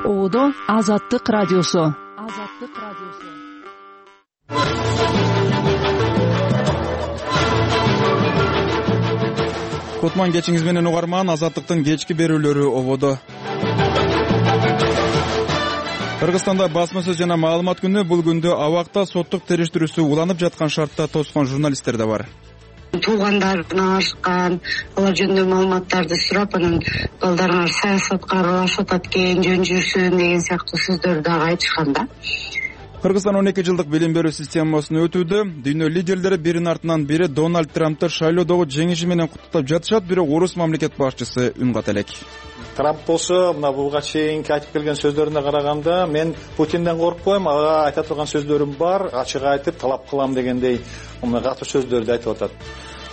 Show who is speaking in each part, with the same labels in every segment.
Speaker 1: Ободо Азаттык радиосу.
Speaker 2: Кутман кечиңиз менен угарман. Азаттыктын кечки берүүлөрү ободо. Кыргызстанда басма сөз жана маалымат күнү. Бул күндө абакта соттук териштирүүсү уланып жаткан шартта тоскон журналисттер да бар.
Speaker 3: Туугандарына ашкан, алар жөнүндө маалыматтарды сурап, анан балдарыңар саясатка аралашып атат экен, жөн жүрсүн деген сыяктуу сөздөрдү дагы айтышкан да.
Speaker 2: Кыргызстан 12 жылдык билим берүү системасын өтүүдө. Дүйнө лидерлери биринин артынан бири Дональд Трампты шайлоодогу жеңиши менен куттуктап жатышат, бирок орус мамлекет башчысы үн ката элек.
Speaker 4: Трамп болсо, мына буга чейинки айтып келген сөздөрүнө караганда, мен Путинден коркпойм, ага айта турган сөздөрүм бар, ачык айтып талап кылам дегендей катуу сөздөрдү айтып атат.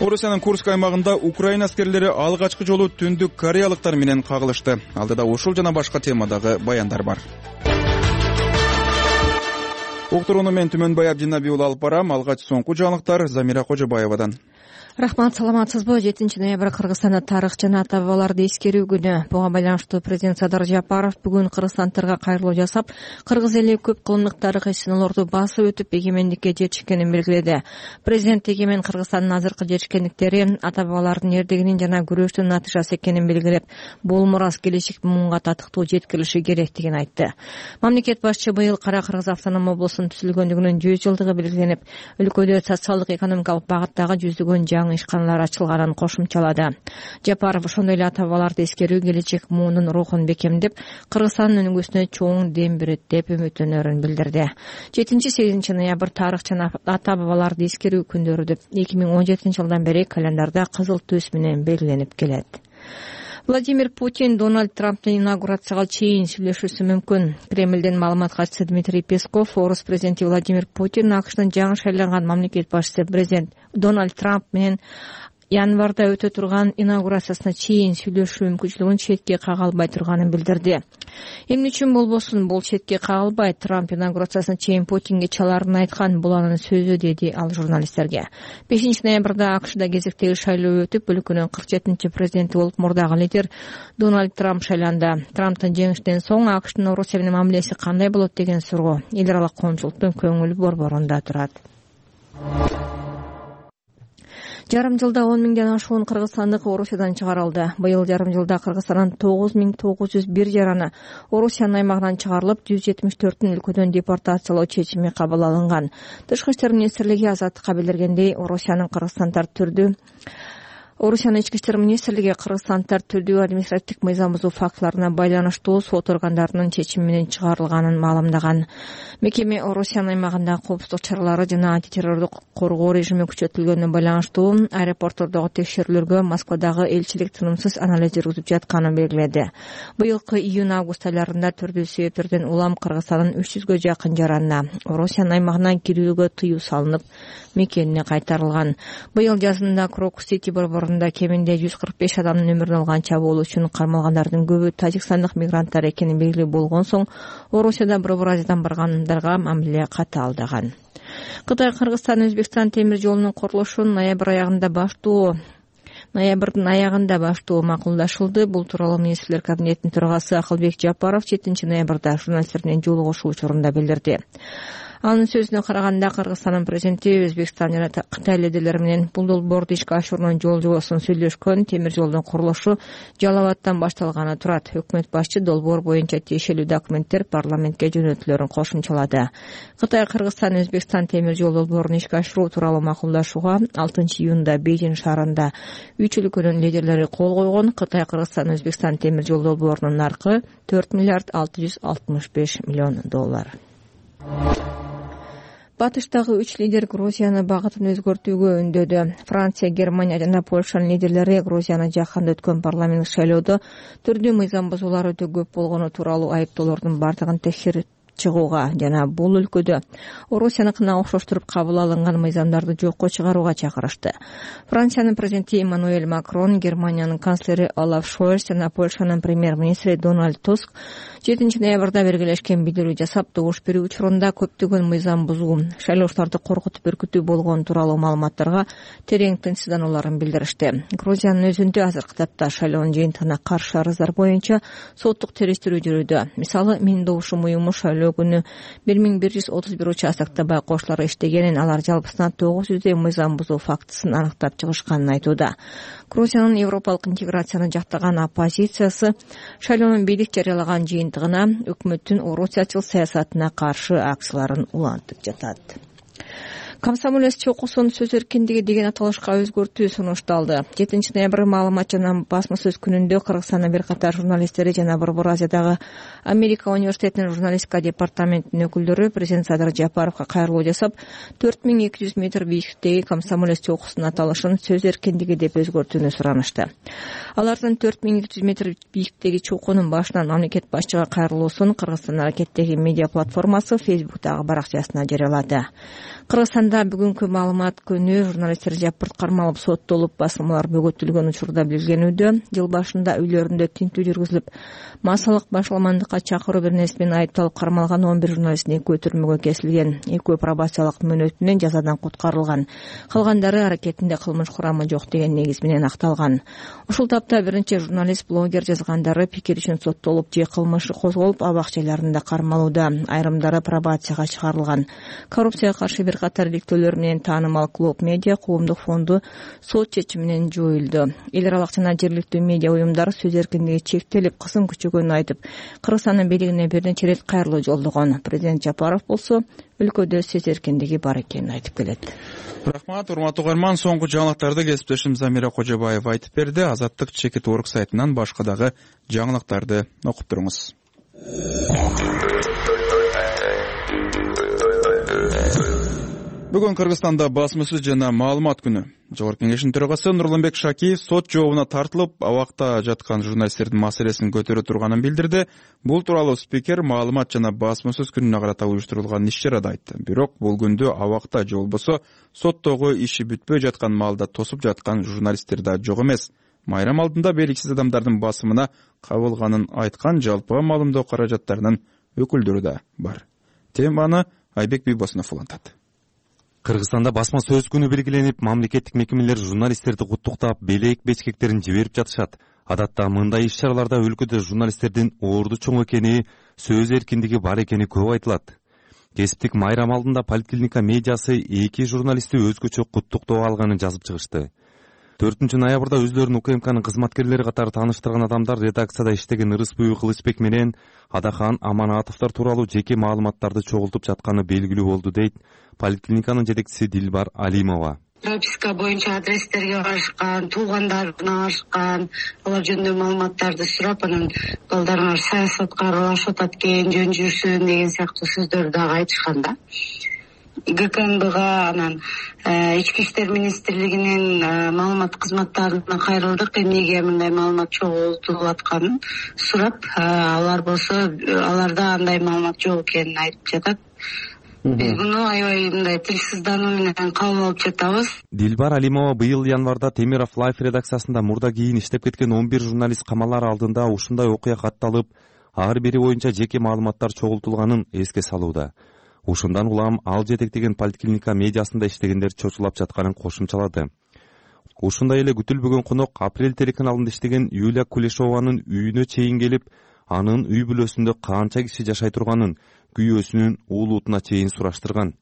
Speaker 2: Орусиянын Курск аймагында Украина аскерлери алгачкы жолу Түндүк Кореялыктар менен кагылышты. Алдыда ушул жана башка темадагы баяндар бар. Уктурууну мен Түмөнбай Абдинабий уулу алып барам. Алгач соңку жаңылыктар Замира Кожобаевадан.
Speaker 5: Рахмат, саламатсызбы? 7 ноябрь Кыргызстанда тарых жана ата бабаларды эскерүү күнү. Буга байланыштуу президент Садыр Жапаров бүгүн кыргызстандыктарга кайрылуу жасап, кыргыз эли көп кылымдык тарыхый сыноолорду басып өтүп эгемендикке жетишкенин белгиледи. Президент эгемен Кыргызстандын азыркы жетишкендиктери ата бабалардын эрдигинин жана күрөштүн натыйжасы экенин белгилеп, бул мурас келечек муунга татыктуу жеткирилиши керектигин айтты. Мамлекет башчы быйыл Кара Кыргыз автоном облусунун түзүлгөндүгүнүн 100 жылдыгы белгиленип, өлкөдө социалдык экономикалык багыттагы жүздөгөн жаңы ишканалар ачылганын кошумчалады. Жапаров ошондой эле ата бабаларды эскерүү келечек муунун рухун бекемдеп, Кыргызстандын өнүгүүсүнө чоң дем берет деп үмүттөнөрүн билдирди. 7-8 ноябрь тарых жана ата бабаларды эскерүү күндөрү деп 2017 жылдан бери календарда кызыл түс менен белгиленип келет. Владимир Путин Дональд Трамптын инаугурацияга чейин сүйлөшүүсү мүмкүн. Кремлден маалымат катчысы Дмитрий Песков, орус президенти Владимир Путин АКШнын жаңы шайланган мамлекет башчысы президент Дональд Трамп менен январда өтө турган инаугурациясына чейин сүйлөшүү мүмкүнчүлүгүн четке кага албай турганын билдирди. Эмне үчүн болбосун, бул четке кагылбайт. Трамп инаугурациясына чейин Путинге чалаарын айткан, бул анын сөзү, деди ал журналисттерге. 5 ноябрда АКШда кезектеги шайлоо өтүп, өлкөнүн 47 президенти болуп мурдагы лидер Дональд Трамп шайланды. Трамптын жеңишинен соң АКШдын Орусия менен мамилеси кандай болот деген суроо эл аралык коомчулуктун көңүл борборунда турат. Жарым жылда 10 миңден ашуун кыргызстандык Орусиядан чыгарылды. Быйыл жарым жылда Кыргызстандан 9901 жараны Орусиянын аймагынан чыгарылып, 174 өлкөдөн депортациялоо чечими кабыл алынган. Тышкы иштер министрлиги Азаттыкка билдиргендей, Орусиянын Ички иштер министрлиги кыргызстандыктар түрдүү административдик мыйзам бузуу фактыларына байланыштуу сот органдарынын чечими менен чыгарылганын маалымдаган. Мекеме Орусиянын аймагында коопсуздук чаралары жана антитеррордук коргоо режими күчөтүлгөнүнө байланыштуу аэропорттордогу текшерүүлөргө Москвадагы элчилик тынымсыз анализ жүргүзүп жатканын белгиледи. Быйылкы июнь-август айларында түрдүү себептерден улам Кыргызстандын 300гө жакын жаранына Орусиянын аймагынан кирүүгө тыюу салынып, мекенине кайтарылган. Быйыл жазында Крокус-Сити борборунда кеминде 145 адамдын өмүрүн алган чабуул үчүн кармалгандардын көбү тажикстандык мигранттар экени белгилүү болгон соң, Орусияда Борбор Азиядан баргандарга мамиле катаалдаган. Кытай Кыргызстан Өзбекстан темир жолунун курулушун ноябрдын аягында баштоо макулдашылды. Бул тууралуу министрлер кабинетинин төрагасы Акылбек Жапаров 7 ноябрда журналистер менен жолугушуу учурунда билдирди. Анын сөзүнө караганда, Кыргызстандын президенти Өзбекстан жана Кытай лидерлери менен бул долбоорду ишке ашыруунун жол жобосун сүйлөшкөн. Темир жолдун курулушу Жалал Абадтан башталганы турат. Өкмөт башчы долбоор боюнча тиешелүү документтер парламентке жөнөтүлөрүн кошумчалады. Кытай Кыргызстан Өзбекстан темир жол долбоорун ишке ашыруу тууралуу макулдашууга 6 июнда Бейжин шаарында 3 өлкөнүн лидерлери кол койгон. Кытай Кыргызстан Өзбекстан темир жол долбоорунун наркы $4 миллиард 665 миллион. Батыштагы 3 лидер Грузияны багытын өзгөртүүгө үндөдү. Франция, Германия жана Польшанын лидерлери Грузияны жакында өткөн парламенттик шайлоодо түрдүү мыйзам бузуулар өтө көп болгону тууралуу айыптоолордун бардыгын чыгууга жана бул өлкөдө Орусияныкына окшоштуруп кабыл алынган мыйзамдарды жокко чыгарууга чакырышты. Франциянын президенти Эммануэль Макрон, Германиянын канцлери Олаф Шольц жана Польшанын премьер-министри Дональд Туск 7 ноябрда бергелешкен билдирүү жасап, добуш берүү учурунда көптөгөн мыйзам бузуу, шайлоочуларды коркутуп үркүтүү болгон тууралуу маалыматтарга терең тынчсызданууларын билдиришти. Грузиянын өзүндө азыркы тапта шайлоонун жыйынтыгына каршы арыздар боюнча соттук териштирүү жүрүүдө. Мисалы, Менин добушум уюму шайлоо күнү 1131 участокто байкоочулар иштегенин, алар жалпысына 900 мыйзам бузуу фактысын аныктап чыгышканын айтууда. Грузиянын европалык интеграцияны жактаган оппозициясы шайлоонун бийлик жарыялаган жыйынтыгына өкмөттүн орусиячыл саясатына каршы акцияларын улантып жатат. Комсомолец чокусун сөз эркиндиги деген аталышка өзгөртүү сунушталды. 7 ноябрь маалымат жана басма сөз күнүндө Кыргызстандын бир катар журналисттери жана Борбор Азиядагы Америка университетинин журналистика департаментинин өкүлдөрү президент Садыр Жапаровго кайрылуу жасап, 4200 метр бийиктиктеги Комсомолец чокусунун аталышын сөз эркиндиги деп өзгөртүүнү суранышты. Алардын 4200 метр бийиктиктеги чокунун башынан мамлекет башчыга кайрылуусун Кыргызстан аракеттеги медиа платформасы Facebook'тагы баракчасына жарыялады. Кыргызстанда бүгүнкү маалымат күнү журналисттер жапырт кармалып соттолуп, басылмалар бөгөтүлгөн учурда билгенүүдө, жыл башында үйлөрүндө тинтүү жүргүзүлүп, массалык башаламандыкка чакыруу беренеси менен айыпталып кармалган 11 журналисттин экөө түрмөгө кесилген. Экөө пробациялык мөөнөтүнөн жазадан куткарылган. Калгандары аракетинде кылмыш курамы жок деген негиз менен акталган. Ушул тапта биринчи журналист, блогер жазгандары пикир үчүн соттолуп же кылмышы козголуп, абак жайларында кармалууда. Айрымдары пробацияга чыгарылган. Коррупцияга каршы бир катар иликтөөлөр менен таанымал Клуб Медиа коомдук фонду сот чечими менен жоюлду. Эл аралык жана жергиликтүү медиа уюмдар сөз эркиндиги чектелип, кысым күчөгөнүн айтып, Кыргызстандын бийлигине бир нече ирет кайрылуу жолдогон. Президент Жапаров болсо өлкөдө сөз эркиндиги бар экенин айтып келет.
Speaker 2: Рахмат, урматтуу угарман. Соңку жаңылыктарды кесиптешим Замира Кожобаева айтып берди. Азаттык чекит орг сайтынан башка дагы жаңылыктарды окуп туруңуз. Бүгүн Кыргызстанда басма сөз жана маалымат күнү. Жогорку кеңештин төрагасы Нурланбек Шакиев сот жообуна тартылып, абакта жаткан журналисттердин маселесин көтөрө турганын билдирди. Бул тууралуу спикер маалымат жана басма сөз күнүнө карата уюштурулган иш-чарада айтты. Бирок бул күндө абакта же болбосо соттогу иши бүтпөй жаткан маалда тосуп жаткан журналисттер да жок эмес. Майрам алдында белгисиз адамдардын басымына кабылганын айткан жалпыга маалымдоо каражаттарынын өкүлдөрү да бар. Теманы Айбек Бийбосунов улантат.
Speaker 6: Кыргызстанда басма сөз күнү белгиленип, мамлекеттик мекемелер журналисттерди куттуктап, белек бечкектерин жиберип жатышат. Адатта мындай иш-чараларда өлкөдө журналисттердин орду чоң экени, сөз эркиндиги бар экени көп айтылат. Кесиптик майрам алдында Поликлиника медиасы 2 журналистти өзгөчө куттуктоо алганын жазып чыгышты. 4 ноябрда өзлөрүн УКМКнын кызматкерлери катары тааныштырган адамдар редакцияда иштеген Ырысбүй Кылычбек менен Адахан Аманатовдор тууралуу жеке маалыматтарды чогултуп жатканы белгилүү болду, дейт Поликлиниканын жетекчиси Дилбар Алимова.
Speaker 3: Прописка боюнча адрестерге барышкан, туугандарына барышкан, алар жөнүндө маалыматтарды сурап, анан балдарыңар саясатка аралашып атат экен, жөн жүрсүн деген сыяктуу сөздөрдү дагы айтышкан да. ГКМБга, анан Ички иштер министрлигинин маалымат кызматтарына кайрылдык, эмнеге мындай маалымат чогултулуп атканын сурап, алар болсо аларда андай маалымат жок экенин айтып жатат. Биз муну аябай мындай тилсиздануу менен кабыл алып жатабыз.
Speaker 6: Дилбар Алимова быйыл январда Темиров Лайф редакциясында мурда кийин иштеп кеткен 11 журналист камалар алдында ушундай окуя катталып, ар бири боюнча жеке маалыматтар чогултулганын эске салууда. Ушундан улам ал жетектеген Поликлиника медиасында иштегендер чочулап жатканын кошумчалады. Ушундай эле күтүлбөгөн конок Апрель телеканалында иштеген Юлия Кулешованын үйүнө чейин келип, анын үй бүлөсүндө канча киши жашай турганын, күйөөсүнүн уулутуна чейин сураштырган.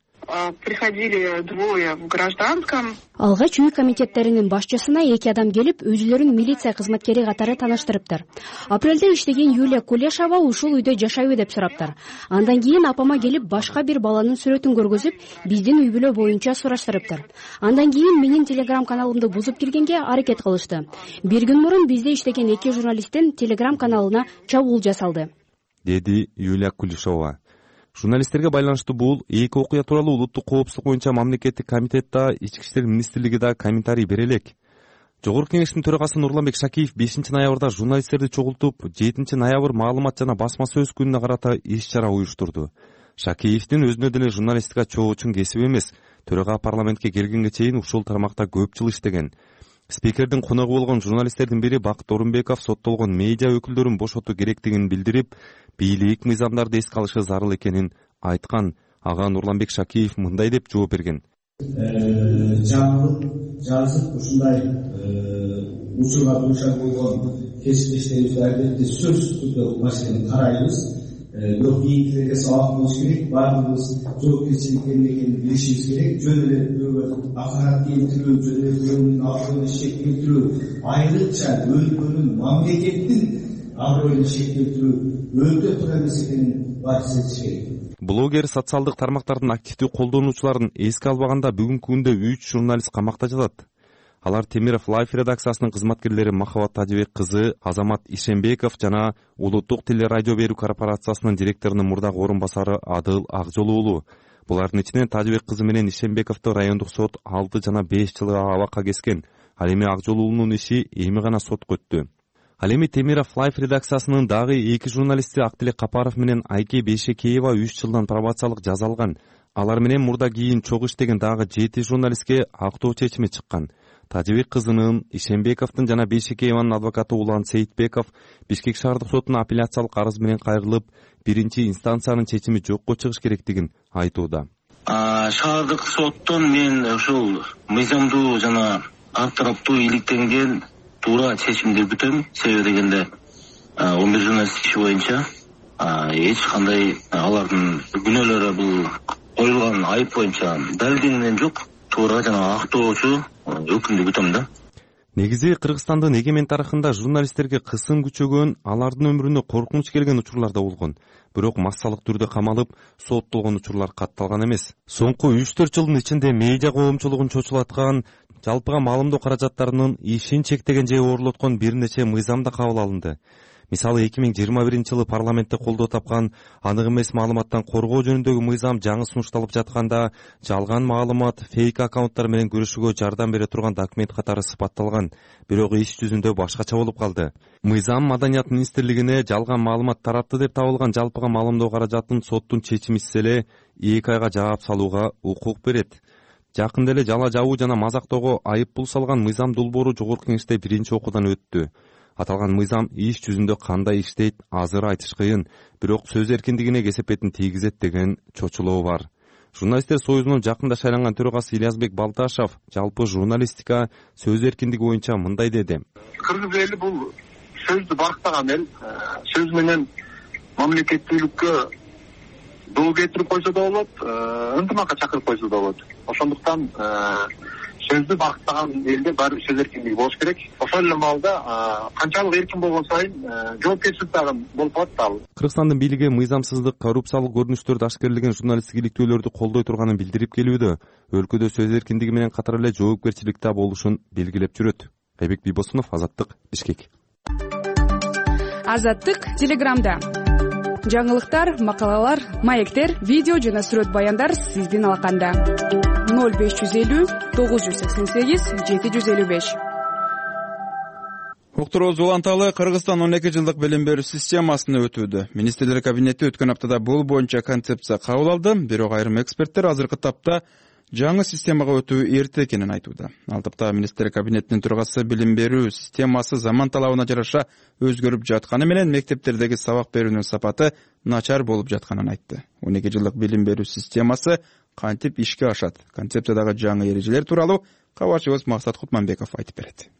Speaker 7: Приходили двое в гражданском.
Speaker 8: Алгач үй комитеттеринин башчысына 2 адам келип, өзүлөрүн милиция кызматкери катары тааныштырыптыр. Апрелде иштеген Юлия Кулешова ушул үйдө жашайбы деп сураптыр. Андан кийин апама келип, башка бир баланын сүрөтүн көргөзүп, биздин үй бүлө боюнча сураштырыптыр. Андан кийин менин телеграм каналымды бузуп киргенге аракет кылышты. Бир күн мурун бизде иштеген 2 журналисттин телеграм каналына чабуул жасалды,
Speaker 6: деди Юлия Кулешова. Журналисттерге байланыштуу бул 2 окуя тууралуу улуттук коопсуздук боюнча мамлекеттик комитет да, Ички иштер министрлиги да комментарий бере элек. Жогорку кеңештин төрагасы Нурланбек Шакиев 5-ноябрда журналисттерди чогултуп, 7-ноябрь маалымат жана басма сөз күнүнө карата иш-чара уюштурду. Шакиевдин өзүнө деле журналистика чоо үчүн кесип эмес, төрага парламентке келгенге чейин ушул тармакта көп жыл иштеген. Спикердин коногу болгон журналисттердин бири Бакыт Орунбеков соттолгон медиа өкүлдөрүн бошотуу керектигин билдирип, бийлик мыйзамдарды эске алышы зарыл экенин айткан. Ага Нурланбек Шакиев мындай деп жооп берген.
Speaker 9: Жазып ушундай учурга дуушар болгон кесиптештерибизди албетте сөзсүз түрдө маселени карайбыз. Бирок кийинкилерге сабак болуш керек, баардыгыбыз жоопкерчиликтин экенин билишибиз керек. Жөн эле бирөөгө акарат келтирүү, жөн эле бирөөнүн аброюна шек келтирүү, айрыкча өлкөнүн, мамлекеттин аброюна шек келтирүү өтө туура эмес экенин баарыбыз этиш керек.
Speaker 6: Блогер социалдык тармактардын активдүү колдонуучуларын эске албаганда бүгүнкү күндө 3 журналист камакта жатат. Алар Темиров Лайф редакциясынын кызматкерлери Махабат Тажыбек кызы, Азамат Ишенбеков жана Улуттук телерадио берүү корпорациясынын директорунун мурдагы орун басары Адыл Акжол уулу. Булардын ичинен Тажыбек кызы менен Ишенбековду райондук сот 6 жана 5 жылга абакка кескен. Ал эми Акжол уулунун иши эми гана сотко өттү. Ал эми Темиров Лайф редакциясынын дагы 2 журналисти Актилек Капаров менен Айке Бейшекеева 3 жылдан пробациялык жаза алган. Алар менен мурда кийин чогуу иштеген дагы 7 журналистке актоо чечими чыккан. Тажыбек кызынын, Ишенбековдун жана Бейшекееванын адвокаты Улан Сейитбеков Бишкек шаардык сотуна апелляциялык арыз менен кайрылып, биринчи инстанциянын чечими жокко чыгыш керектигин айтууда.
Speaker 10: Шаардык соттон мен ушул мыйзамдуу жана ар тараптуу иликтенген туура чечимди күтөм. Себеби дегенде 11 журналист иши боюнча эч кандай алардын күнөөлөрү бул коюлган айып боюнча далилденгени жок. Туура жана актоочу өкүмдү күтөм да.
Speaker 6: Негизи Кыргызстандын эгемен тарыхында журналисттерге кысым күчөгөн, алардын өмүрүнө коркунуч келген учурлар да болгон. Бирок массалык түрдө камалып, соттолгон учурлар катталган эмес. Соңку 3-4 жылдын ичинде медиа коомчулугун чочулаткан, жалпыга маалымдоо каражаттарынын ишин чектеген же ooрлоткон бир нече мыйзам да кабыл алынды. Мисалы 2021-жылы парламентте колдоо тапкан анык эмес маалыматтан коргоо жөнүндөгү мыйзам жаңы сунушталып жатканда жалган маалымат, фейк аккаунттар менен күрөшүүгө жардам бере турган документ катары сыпатталган. Бирок иш жүзүндө башкача болуп калды. Мыйзам Маданият министрлигине жалган маалымат таратты деп табылган жалпыга маалымдоо каражатын соттун чечимисиз эле 2 айга жаап салууга укук берет. Жакында эле жала жабуу жана мазактоого айып пул салган мыйзам долбоору жогорку кеңеште биринчи окуудан өттү. Аталган мыйзам иш жүзүндө кандай иштейт азыр айтыш кыйын, бирок сөз эркиндигине кесепетин тийгизет деген чочулоо бар. Журналисттер союзунун жакында шайланган төрагасы Ильязбек Балташев жалпы журналистика сөз эркиндиги боюнча мындай деди.
Speaker 7: Кыргыз эли бул сөздү барктаган эл, сөз менен мамлекеттүүлүккө доо кетирип койсо да болот, ынтымакка чакырып койсо да болот. Ошондуктан сөздү барктаган элде баары сөз эркиндиги болуш керек. Ошол эле маалда канчалык эркин болгон сайын жоопкерчилик дагы болуп калат да.
Speaker 6: Кыргызстандын бийлиги мыйзамсыздык, коррупциялык көрүнүштөрдү ашкерлеген журналисттик иликтөөлөрдү колдой турганын билдирип келүүдө. Өлкөдө сөз эркиндиги менен катар эле жоопкерчилик да болушун белгилеп жүрөт. Айбек Бийбосунов, Азаттык, Бишкек.
Speaker 11: Азаттык Телеграмда. Жаңылыктар, макалалар, маектер, видео жана сүрөт баяндар сиздин алаканда. 0550 988 755.
Speaker 2: Уктурубуз уланталы Кыргызстан 12 жылдык билим берүү системасына өтүүдө. Министрлер кабинети өткөн аптада бул боюнча концепция кабыл алды, бирок айрым эксперттер азыркы тапта жаңы системага өтүү эрте экенин айтууда. Ал тапта министрлер кабинетинин төрагасы билим берүү системасы заман талабына жараша өзгөрүп жатканы менен мектептердеги сабак берүүнүн сапаты начар болуп жатканын айтты. 12 жылдык билим берүү системасы кантип ишке ашат? Концепциядагы жаңы эрежелер тууралуу кабарчыбыз Максат Кутманбеков айтып берет.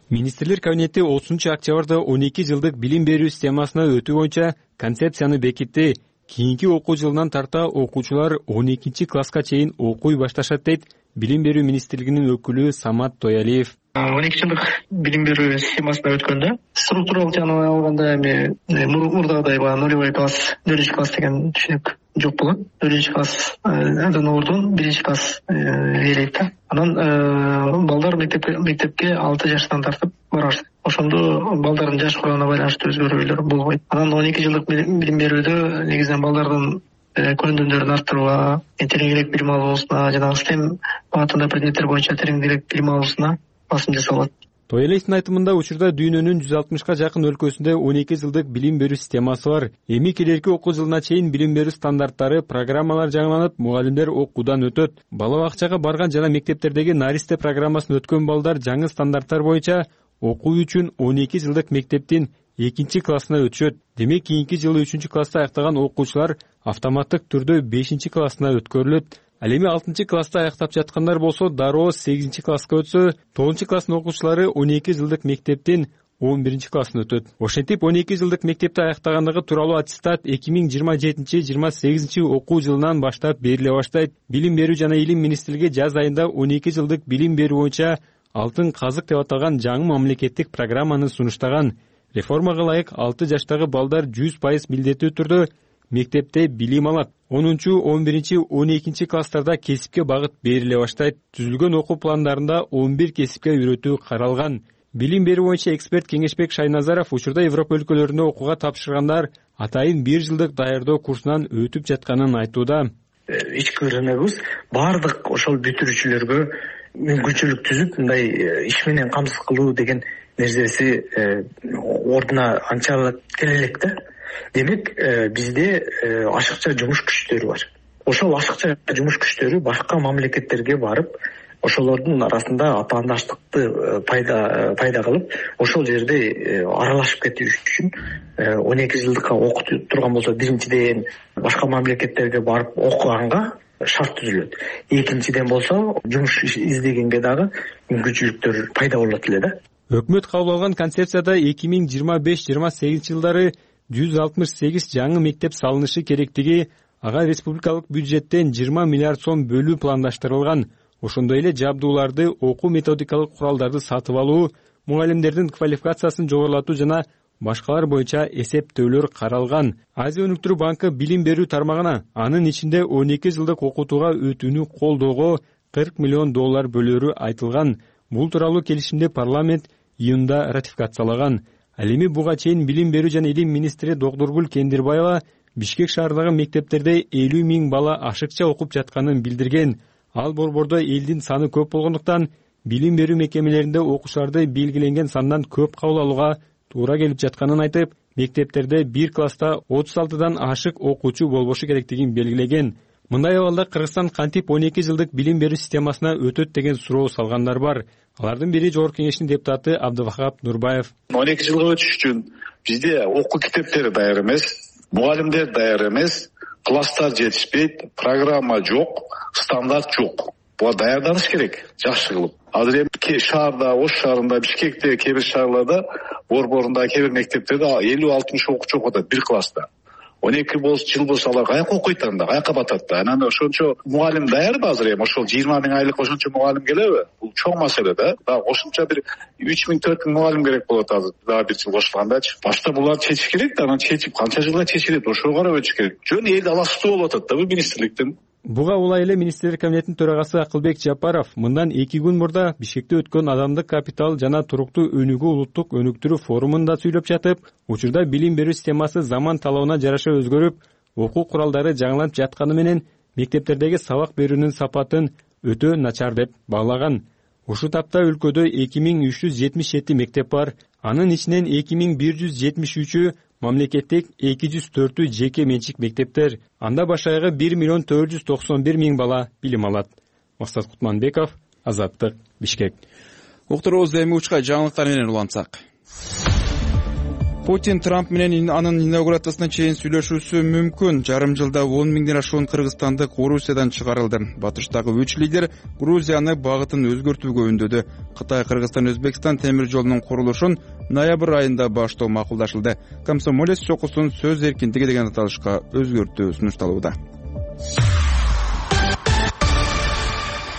Speaker 12: Министрлер кабинети 30 октябрда 12 жылдык билим берүү системасына өтүү боюнча концепцияны бекитти. Кийинки окуу жылынан тарта окуучулар 12 класска чейин окуй башташат дейт билим берүү министрлигинин өкүлү Самат Тоялиев.
Speaker 13: 12 жылдык билим берүү системасына өткөндө структуралык жагынан алганда эми мурдагыдай баягы 0 класс, 4 класс деген түшүнүк жок болгон. 4 класс андан ордун 1 класс ээлейт да. Анан балдар мектепке 6 жаштан тартып барат. Ошондо балдардын жаш курамына байланыштуу өзгөрүүлөр болбойт. Анан 12 жылдык билим берүүдө негизинен балдардын көндүмдөрүн арттырууга, тереңирээк билим алуусуна, жана STEM багытында предметтер боюнча тереңирээк билим алуусуна басым жасалат.
Speaker 12: Тоелестин айтымында учурда дүйнөнүн 160ка жакын өлкөсүндө 12 жылдык билим берүү системасы бар. Эми келерки окуу жылына чейин билим берүү стандарттары, программалар жаңыланып, мугалимдер окуудан өтөт. Бала бакчага барган жана мектептердеги Наристе программасын өткөн балдар жаңы стандарттар боюнча окуу үчүн 12 жылдык мектептин 2 классына өтүшөт. Демек, кийинки жылы 3 класста аяктаган окуучулар автоматтык түрдө 5 классына өткөрүлөт. Ал эми 6 класста аяктап жаткандар болсо, дароо 8 класска өтсө, 9 класстын окуучулары 12 жылдык мектептин 11 классына өтөт. Ошентип 12 жылдык мектепти аяктагандыгы тууралуу аттестат 2027-28 окуу жылынан баштап бериле баштайт. Билим берүү жана илим министрлиги жаз айында 12 жылдык билим берүү боюнча алтын казык деп аталган жаңы мамлекеттик программаны сунуштаган. Реформага ылайык 6 жаштагы балдар 100% милдеттүү түрдө мектепте билим алат. 10-11-12 класстарда кесипке багыт бериле баштайт. Түзүлгөн окуу пландарында 11 кесипке үйрөтүү каралган. Билим берүү боюнча эксперт Кеңешбек Шайназаров учурда Европа өлкөлөрүндө окууга тапшыргандар атайын 1 жылдык даярдоо курсунан өтүп жатканын айтууда.
Speaker 13: Ички ырыныбыз бардык ошол бүтүрүүчүлөргө мүмкүнчүлүк түзүп, мындай иш менен камсыз кылуу деген нерсеси ордуна анча келе элек да. Демек, бизде ашыкча жумуш күчтөрү бар. Ошол ашыкча жумуш күчтөрү башка мамлекеттерге барып, ошолордун арасында атаандаштыкты пайда кылып, ошол жерде аралашып кетүү үчүн 12 жылдыкка окутуп турган болсо, биринчиден башка мамлекеттерге барып окуганга шарт түзүлөт. Экинчиден болсо, жумуш издегенге дагы мүмкүнчүлүктөр пайда болот эле да.
Speaker 12: Өкмөт кабыл алган концепцияда 2025-28 жылдары 168 жаңы мектеп салынышы керектиги, ага республикалык бюджеттен 20 миллиард сом бөлүү пландаштырылган. Ошондой эле жабдууларды, окуу методикалык куралдарды сатып алуу, мугалимдердин квалификациясын жогорулатуу жана башкалар боюнча эсептөөлөр каралган. Азия өнүктүрүү банкы билим берүү тармагына, анын ичинде 12 жылдык окутууга өтүүнү колдоого $40 миллион бөлөрү айтылган. Бул тууралуу келишимди парламент июнда ратификациялаган. Ал эми буга чейин билим берүү жана илим министри Докторгүл Кендирбаева Бишкек шаарындагы мектептерде 50 000 бала ашыкча окуп жатканын билдирген. Ал борбордо элдин саны көп болгондуктан билим берүү мекемелеринде окуучуларды белгиленген сандан көп кабыл алууга туура келип жатканын айтып, мектептерде 1 класста 36дан ашык окуучу болбошу керектигин белгилеген. Мындай абалда Кыргызстан кантип 12 жылдык билим берүү системасына өтөт деген суроо салгандар бар. Алардын бири Жогорку Кеңештин депутаты Абдывахап Нурбаев.
Speaker 14: 12 жылга өтүш үчүн бизде окуу китептери даяр эмес, мугалимдер даяр эмес, класстар жетишпейт, программа жок, стандарт жок. Буга даярданыш керек, жакшы кылып. Азыр эми шаарда, Ош шаарында, Бишкекте, кээ бир шаарларда, борборунда, кээ бир мектептерде 50-60 окуучу окуп атат 1 класста. 12 жыл болсо алар каяка окуйт анда, каяка батат да. Анан ошончо мугалим даярбы азыр эми? Ошол 20 000 айлык ошончо мугалим келеби? Бул чоң маселе да. Дагы кошумча бир 3 000 4 000 мугалим керек болот азыр. Дагы 1 жыл кошулгандачы. Башта буларды чечиш керек да, анан чечип канча жылга чечилет, ошого карап өтүш керек. Жөн эл аластуу болуп атат да бул министрликтин.
Speaker 12: Буга улай эле министрлер кабинетинин төрагасы Акылбек Жапаров мындан 2 күн мурда Бишкекте өткөн адамдык капитал жана туруктуу өнүгүү улуттук өнүктүрүү форумунда сүйлөп жатып, учурда билим берүү системасы заман талабына жараша өзгөрүп, окуу куралдары жаңыланып жатканы менен мектептердеги сабак берүүнүн сапатын өтө начар деп баалаган. Ушул тапта өлкөдө 2377 мектеп бар, анын ичинен 2173-ü мамлекеттик, 204-ü жеке менчик мектептер. Анда башайгы 1 491 000 бала билим алат. Максат Кутманбеков, Азаттык, Бишкек.
Speaker 2: Уктурубуз эми учка жаңылыктар менен улантсак. Путин Трамп менен анын инаугурациясына чейин сүйлөшүүсү мүмкүн. Жарым жылда 10 000ден ашуун кыргызстандык Орусиядан чыгарылды. Батыштагы 3 лидер Грузияны багытын өзгөртүүгө үндөдү. Кытай, Кыргызстан, Өзбекстан темир жолунун курулушун ноябрь айында баштоо макулдашылды. Комсомолец чокусун сөз эркиндиги деген аталышка өзгөртүү сунушталууда.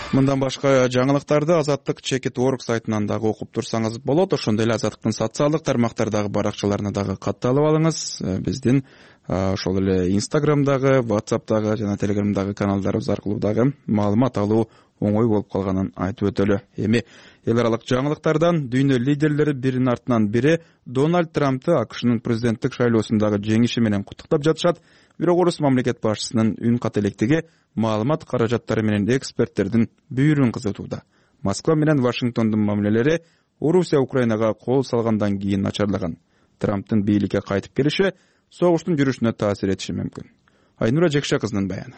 Speaker 2: Мындан башка жаңылыктарды Азаттык Чекит.org сайтынан дагы окуп турсаңыз болот. Ошондой эле Азаттыктын социалдык тармактардагы баракчаларына дагы катталып алыңыз. Биздин ошол эле Instagram'дагы, WhatsApp'дагы жана Telegram'дагы каналдарыбыз аркылуу дагы маалымат алуу оңой болуп калганын айтып өтөлү. Эми эл аралык жаңылыктардан дүйнө лидерлери биринин артынан бири Дональд Трампты АКШнын президенттик шайлоосундагы жеңиши менен куттуктап жатышат. Бирок орус мамлекет башчысынын үн кат электиги маалымат каражаттары менен эксперттердин бүйүрүн кызытууда. Москва менен Вашингтондун мамилелери Орусия Украинага кол салгандан кийин начарлаган. Трамптын бийликке кайтып келиши согуштун жүрүшүнө таасир этиши мүмкүн. Айнура Жекше кызынын баяны.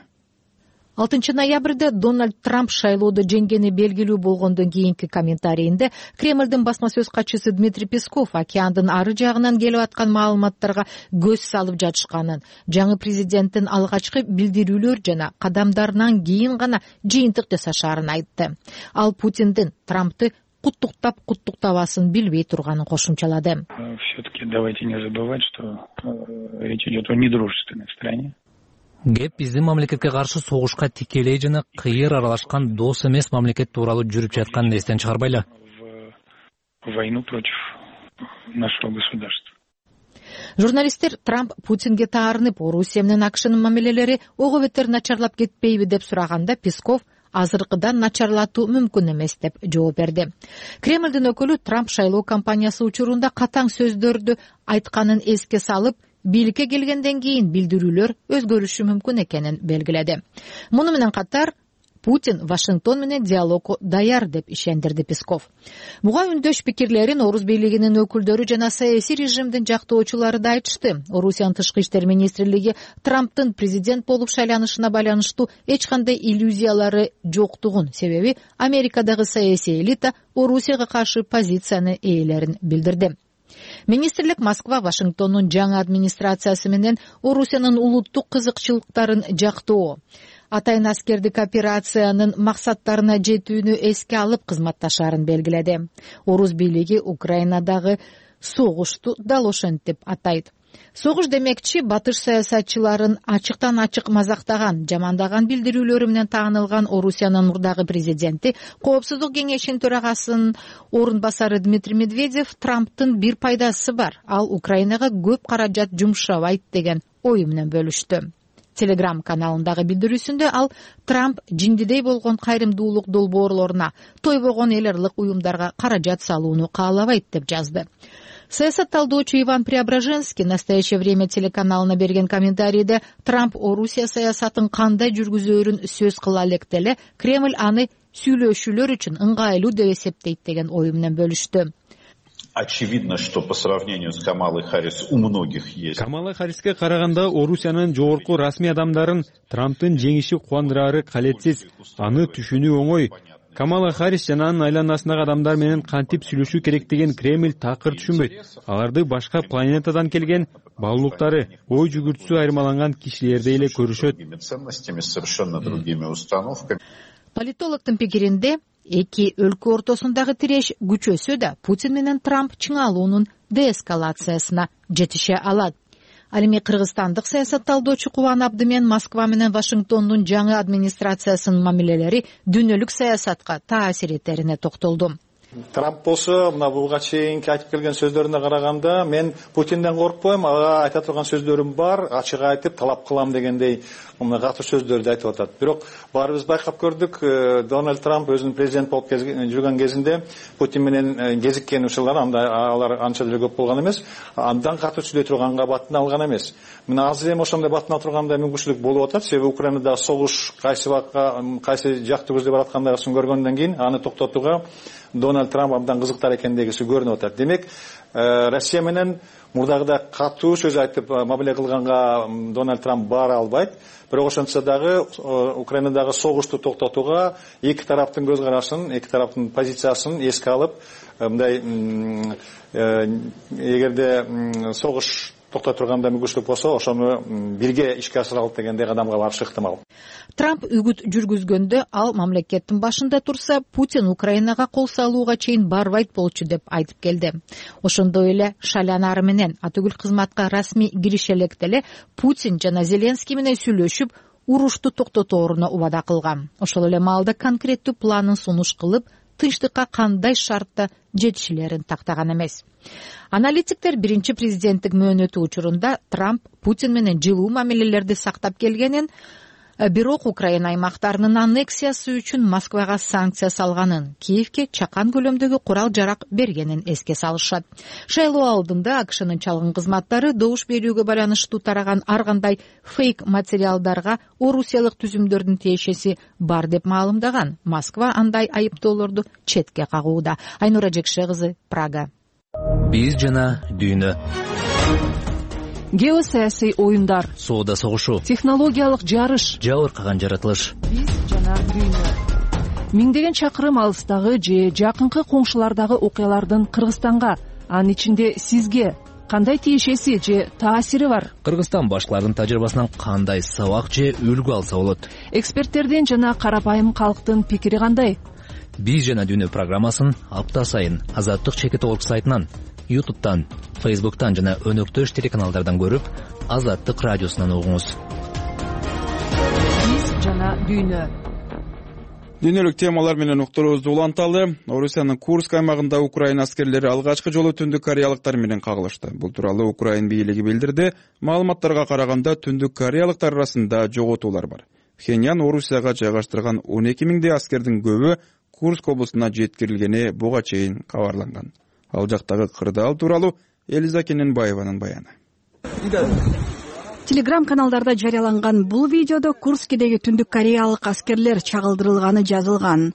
Speaker 15: 6 ноябрда Дональд Трамп шайлоодо жеңгени белгилүү болгондон кийинки комментарийинде Кремлдин басма сөз катчысы Дмитрий Песков океандын ары жагынан келип аткан маалыматтарга көз салып жатышканын, жаңы президенттин алгачкы билдирүүлөр жана кадамдарынан кийин гана жыйынтык жасашаарын айтты. Ал Путиндин Трампты куттуктабасын билбей турганын кошумчалады.
Speaker 16: Все-таки давайте не забывать, что речь идет о недружественной стране.
Speaker 17: Кеп биздин мамлекетке каршы согушка тикелей жана кыйыр аралашкан дос эмес мамлекет тууралуу жүрүп жатканын эстен чыгарбайлы.
Speaker 16: Войну против нашего государства.
Speaker 15: Журналисттер Трамп Путинге таарынып, Орусия менен АКШнын мамилелери ого бетер начарлап кетпейби деп сураганда Песков азыркыдан начарлатуу мүмкүн эмес деп жооп берди. Кремлдин өкүлү Трамп шайлоо кампаниясы учурунда катаң сөздөрдү айтканын эске салып, бийликке келгенден кийин билдирүүлөр өзгөрүшү мүмкүн экенин белгиледи. Муну менен катар Путин Вашингтон менен диалогго даяр деп ишендирди Песков. Буга үндөш пикирлерин Орус бийлигинин өкүлдөрү жана саясий режимдин жактоочулары да айтышты. Орусиянын тышкы иштер министрлиги Трамптын президент болуп шайланышына байланыштуу эч кандай иллюзиялары жоктугун, себеби Америкадагы саясий элита Орусияга каршы позицияны ээлерин билдирди. Министрлик Москва Вашингтондун жаңы администрациясы менен Орусиянын улуттук кызыкчылыктарын жактоо, атайын аскердик операциянын максаттарына жетүүнү эске алып кызматташаарын белгиледи. Орус бийлиги Украинадагы согушту дал ошентип атайт. Согуш демекчи батыш саясатчыларын ачыктан ачык мазактаган, жамандаган билдирүүлөрү менен таанылган Орусиянын мурдагы президенти, Коопсуздук кеңешинин төрагасынын орун басары Дмитрий Медведев Трамптын бир пайдасы бар, ал Украинага көп каражат жумшабайт деген ою менен бөлүштү. Telegram каналындагы билдирүүсүндө ал Трамп жиңдидей болгон кайрымдуулук долбоорлоруна, тойбогон эл аралык уюмдарга каражат салууну каалабайт деп жазды. Саясат талдоочу Иван Преображенский «Настоящее время» телеканалына берген комментарийде Трамп Орусия саясатын кандай жүргүзөөрүн сөз кыла электе эле Кремль аны сүйлөшүүлөр үчүн ыңгайлуу деп эсептейт деген ою менен бөлүштү.
Speaker 18: Очевидно, что по сравнению с Камалой Харрис у многих есть.
Speaker 12: Камала Харриске караганда Орусиянын жогорку расмий адамдарын Трамптын жеңиши кубандырары калетсиз, аны түшүнүү оңой. Камала Харрис жана анын айланасындагы адамдар менен кантип сүйлөшүү керектигин Кремль такыр түшүнбөйт. Аларды башка планетадан келген баалуулуктары, ой жүгүртүүсү айырмаланган кишилердей эле көрүшөт.
Speaker 15: Политологдун пикиринде эки өлкө ортосундагы тиреш күчөсө да Путин менен Трамп чыңалуунун деэскалациясына жетише алат. Ал эми кыргызстандык саясатталдоочу Кубан Абдымен Москва менен Вашингтондун жаңы администрациясынын мамилелери дүйнөлүк саясатка таасир этерине токтолду.
Speaker 4: Трамп болсо мына буга чейинки айтып келген сөздөрүнө караганда мен Путинден коркпойм, ага айта турган сөздөрүм бар, ачык айтып талап кылам дегендей мына катуу сөздөрдү айтып атат. Бирок баарыбыз байкап көрдүк, Дональд Трамп өзүнүн президент болуп жүргөн кезинде Путин менен кезиккен учурлар алар анча деле көп болгон эмес, андан катуу сүйлөй турганга батын алган эмес. Мына азыр эми ошондой батын ала турганда мүмкүнчүлүк болуп атат, себеби Украинадагы согуш кайсы жакты көздөй бараткандыгын көргөндөн кийин аны токтотууга Дональд Трамп абдан кызыктар экендигиси көрүнүп атат. Демек, Россия менен мурдагыдай катуу сөз айтып мамиле кылганга Дональд Трамп бара албайт. Бирок ошентсе дагы Украинадагы согушту токтотууга эки тараптын көз карашын, эки тараптын позициясын эске алып, мындай эгерде согуш токтой турганда мүмкүнчүлүк болсо, ошону бирге ишке ашыралып дегендей кадамга барышы ыктымал.
Speaker 15: Трамп үгүт жүргүзгөндө ал мамлекеттин башында турса, Путин Украинага кол салууга чейин барбайт болчу деп айтып келди. Ошондой эле шайланары менен атүгүл кызматка расмий киреше электе эле Путин жана Зеленский менен сүйлөшүп, урушту токтотооруна убада кылган. Ошол эле маалда конкреттүү планын сунуш кылып, тынчтыкка кандай шартта жетишилерин тактаган эмес. Аналитиктер биринчи президенттик мөөнөтү учурунда Трамп Путин менен жылуу мамилелерди сактап келгенин, Бирок Украина аймактарынын аннексиясы үчүн Москвага санкция салганын, Киевке чакан көлөмдөгү курал-жарак бергенин эске салышат. Шайлоо алдында АКШнын чалгын кызматтары добуш берүүгө байланыштуу тараган ар кандай фейк материалдарга орусиялык түзүмдөрдүн тиешеси бар деп маалымдаган. Москва андай айыптоолорду четке кагууда. Айнура Жекше кызы, Прага.
Speaker 17: Биз жана дүйнө.
Speaker 1: Геосаясий оюндар,
Speaker 17: соода согушу,
Speaker 1: технологиялык жарыш,
Speaker 17: жабыркаган жаратылыш.
Speaker 1: Биз жана дүйнө. Миңдеген чакырым алыстагы же жакынкы коңшулардагы окуялардын Кыргызстанга, анын ичинде сизге кандай тиешеси же таасири бар?
Speaker 17: Кыргызстан башкалардын тажрыйбасынан кандай сабак же үлгү алса болот?
Speaker 1: Эксперттердин жана карапайым калктын пикири кандай?
Speaker 17: Биз жана дүйнө программасын апта сайын Азаттык чекит орг сайтынан, YouTube'тан, Facebook'тан жана өнөктөш телеканалдардан көрүп, Азаттык радиосунан угуңуз.
Speaker 1: Биз жана дүйнө.
Speaker 2: Дүйнөлүк темалар менен уктуруубузду уланталы. Орусиянын Курск аймагында Украина аскерлери алгачкы жолу Түндүк кореялыктар менен кагылышты. Бул тууралуу Украин бийлиги билдирди. Маалыматтарга караганда Түндүк кореялыктар арасында жоготуулар бар. Пхеньян Орусияга жайгаштырган 12 миңдей аскердин көбү Курск облусуна жеткирилгени буга чейин кабарланган. Ал жактагы кырдаал тууралуу Элиза Кененбаеванын баяны.
Speaker 19: Телеграм каналдарда жарыяланган бул видеодо Курскидеги Түндүк кореялык аскерлер чагылдырылганы жазылган.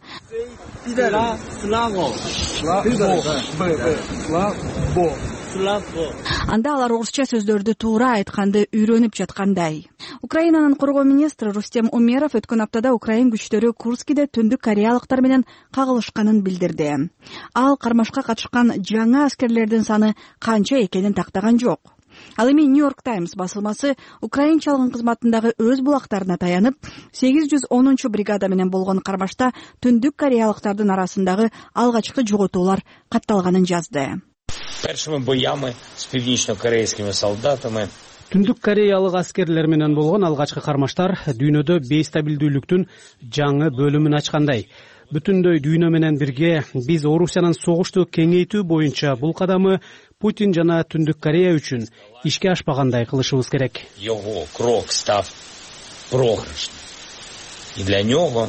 Speaker 19: Анда алар орусча сөздөрдү туура айтканды үйрөнүп жаткандай. Украинанын коргоо министри Рустем Умеров өткөн аптада Украин күчтөрү Курскиде Түндүк кореялыктар менен кагылышканын билдирди. Ал кармашка катышкан жаңы аскерлердин саны канча экенин тактаган жок. Ал эми Нью-Йорк Таймс басылмасы Украин чалгын кызматындагы өз булактарына таянып, 810 бригада менен болгон кармашта Түндүк кореялыктардын арасындагы алгачкы жоготуулар катталганын жазды.
Speaker 20: Першими боями с північно-корейськими солдатами.
Speaker 21: Түндүк кореялык аскерлер менен болгон алгачкы кармаштар дүйнөдө бейстабилдүүлүктүн жаңы бөлүмүн ачкандай. Бүтүндөй дүйнө менен бирге биз Орусиянын согушту кеңейтүү боюнча бул кадамы Путин жана Түндүк Корея үчүн ишке ашпагандай кылышыбыз керек.
Speaker 20: Его крок став проигрышным. И для него,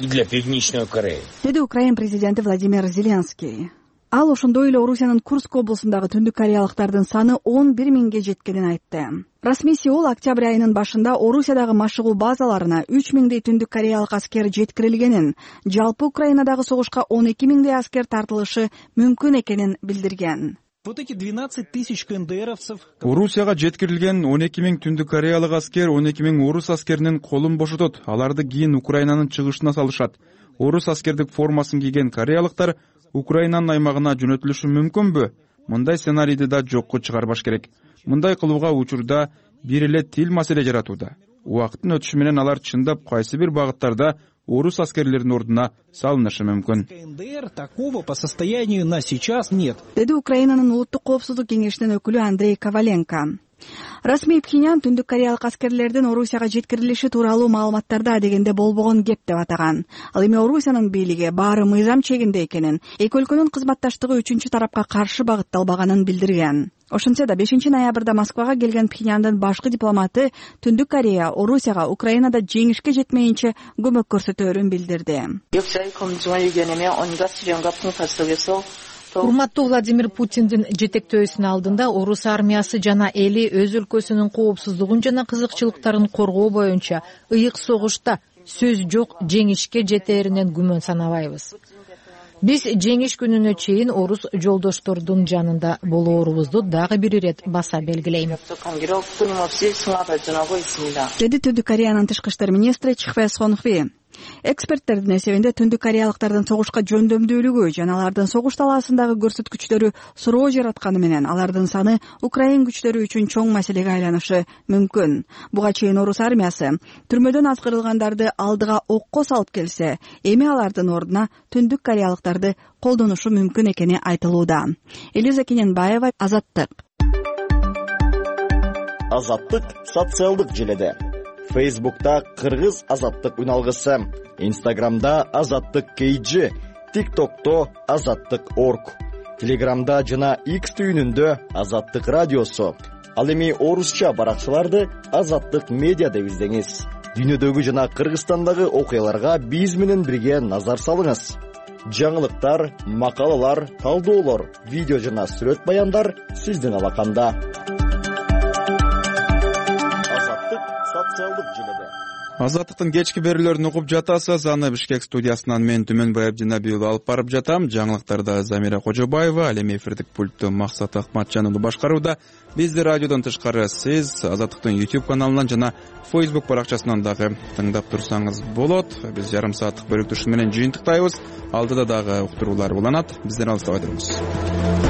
Speaker 20: и для Північної Кореи.
Speaker 19: Деди Украин президенти Владимир Зеленский. Ал ошондой эле Орусиянын Курск облусундагы Түндүк кореялыктардын саны 11 миңге жеткенин айтты. Расмий Сеул октябрь айынын башында Орусиядагы машыгуу базаларына 3 миңдей Түндүк кореялык аскер жеткирилгенин, жалпы Украинадагы согушка 12 миңдей аскер тартылышы мүмкүн экенин билдирген.
Speaker 22: Вот эти 12 тысяч КНДРовцев.
Speaker 2: Орусияга жеткирилген 12 миң Түндүк кореялык аскер 12 миң орус аскеринин колун бошотот. Аларды кийин Украинанын чыгышына салышат. Орус аскердик формасын кийген кореялыктар Украинанын аймагына жөнөтүлүшү мүмкүнбү? Мындай сценарийди да жокко чыгарбаш керек. Мындай кылууга учурда бир эле тил маселе жаратууда. Убакыттын өтүшү менен алар чындап кайсы бир багыттарда орус аскерлеринин ордуна салынышы мүмкүн.
Speaker 22: КНДР такого по состоянию на сейчас нет.
Speaker 19: Деди Украинанын улуттук коопсуздук кеңешинин өкүлү Андрей Коваленко. Расмий Пхеньян Түндүк кореялык аскерлердин Орусияга жеткирилиши тууралуу маалыматтарда дегенде болбогон кеп деп атаган. Ал эми Орусиянын бийлиги баары мыйзам чегинде экенин, эки өлкөнүн кызматташтыгы үчүнчү тарапка каршы багытталбаганын билдирген. Ошентсе да 5 ноябрда Москвага келген Пхеньяндын башкы дипломаты Түндүк Корея Орусияга Украинада жеңишке жетмейинче көмөк көрсөтөөрүн билдирди.
Speaker 15: Урматтуу Владимир Путиндин жетектөөсүнүн алдында орус армиясы жана эли өз өлкөсүнүн коопсуздугун жана кызыкчылыктарын коргоо боюнча ыйык согушта сөз жок жеңишке жетээринен күмөн санабайбыз. Биз жеңиш күнүнө чейин орус жолдоштордун жанында болоорубузду дагы бир ирет баса белгилейм.
Speaker 19: Деди Түндүк Кореянын тышкы иштер министри Чхве Сонхви. Эксперттердин эсебинде Түндүк кореялыктардын согушка жөндөмдүүлүгү жана алардын согуш талаасындагы көрсөткүчтөрү суроо жаратканы менен алардын саны Украин күчтөрү үчүн чоң маселеге айланышы мүмкүн. Буга чейин орус армиясы түрмөдөн азгырылгандарды алдыга окко салып келсе, эми алардын ордуна Түндүк кореялыктарды колдонушу мүмкүн экени айтылууда. Элиза Кененбаева, Азаттык.
Speaker 23: Азаттык социалдык желеде. Facebook'ta Кыргыз Азаттык үналгысы, Instagram'da Азаттык KG, TikTok'ta Азаттык Org, Telegram'da жана X түйүнүндө Азаттык радиосу. Ал эми орусча баракчаларды Азаттык медиа деп издеңиз. дүйнөдөгү жана Кыргызстандагы окуяларга биз менен бирге назар салыңыз. Жаңылыктар, макалалар, талдоолор, видео жана сүрөт баяндар сиздин алаканда. Азаттык социалдык желеде.
Speaker 2: Азаттыктын кечки берүүлөрүн угуп жатасыз. Аны Бишкек студиясынан мен Түмөнбай Абдинабиев алып барып жатам. Жаңылыктарда Замира Кожобаева, ал эми эфирдик пультту Максат Акматжан уулу башкарууда. Бизди радиодон тышкары сиз Азаттыктын YouTube каналынан жана Facebook баракчасынан дагы тыңдап турсаңыз болот. Биз жарым сааттык бөлүктүшү менен жыйынтыктайбыз. Алдыда дагы уктуруулар уланат. Бизден алыстабай туруңуз.